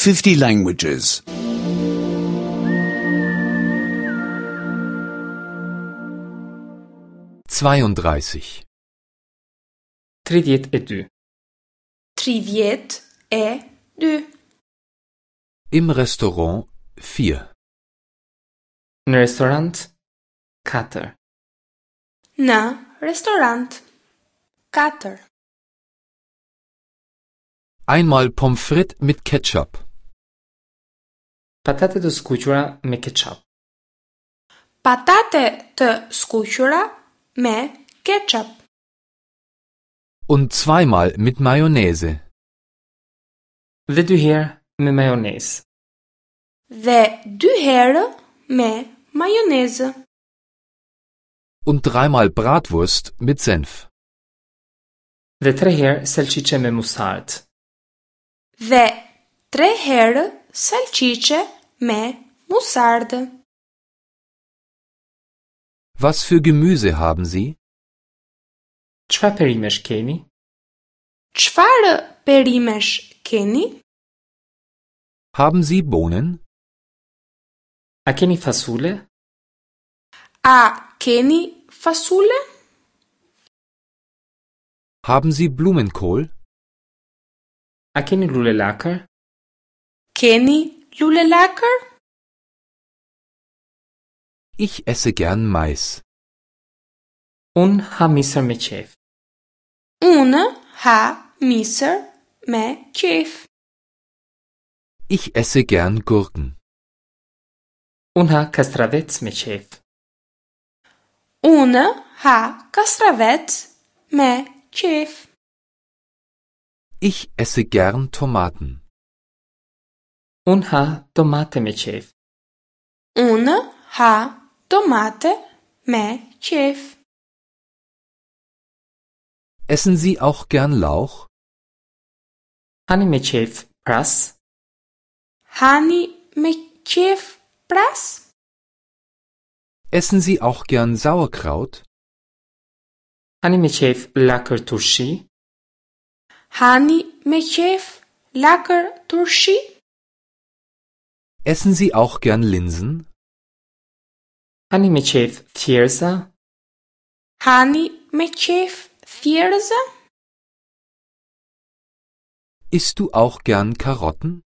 50 languages. 32. 32. 32. Im Restaurant 4. Në restorant 4. Në restorant 4. Einmal Pommes frites mit Ketchup. Patate të skuqura me ketchup. Patate të skuqura me ketchup. Und zweimal mit Mayonnaise. Dhe dy herë me majonezë. Dhe dy herë me majonezë. Und dreimal Bratwurst mit Senf. Dhe tre herë salciçe me musard. Dhe tre herë salciçe me musardë. Was für Gemüse haben Sie? Çfarë perimesh keni? Çfarë perimesh keni? Haben Sie Bohnen? A keni fasule? A keni fasule? Haben Sie Blumenkohl? A keni lule lakër? Keni lule lakër? Ich esse gern Mais. Unë ha misër me qef. Unë ha misër me qef. Ich esse gern Gurken. Unë ha kastravec me qef. Unë ha kastravec me qef. Ich esse gern Tomaten. Unë ha domate me qef. Unë ha domate me qef. Essen Sie auch gern Lauch? Hani me qef pras? Hani me qef pras? Essen Sie auch gern Sauerkraut? Hani me qef lakër turshi? Hani me qef lakër turshi? Essen Sie auch gern Linsen? Hani me qef thjerza? Hani me qef thjerza? Isst du auch gern Karotten?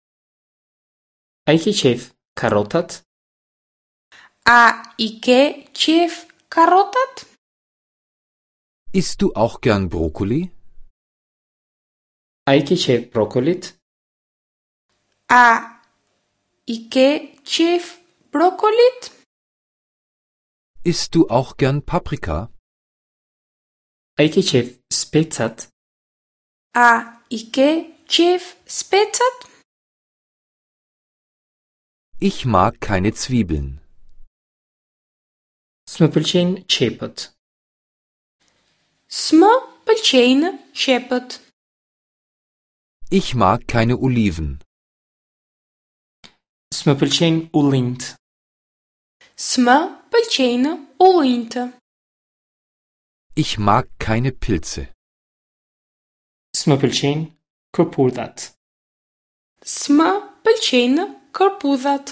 A i ke qef karotat? A i ke qef karotat? Isst du auch gern Brokkoli? A i ke qef brokolit? A i ke qef brokolit? Isst du auch gern Paprika? A i ke qef specat? A i ke qef specat? Ich mag keine Zwiebeln. S'më pëlqejnë qepët. S'më pëlqejnë qepët. Ich mag keine Oliven. S'më pëlqejnë ullinjt. S'më pëlqejnë ullinjtë. Ich mag keine Pilze. S'më pëlqejnë kërpudhat. S'më pëlqejnë kërpudhat.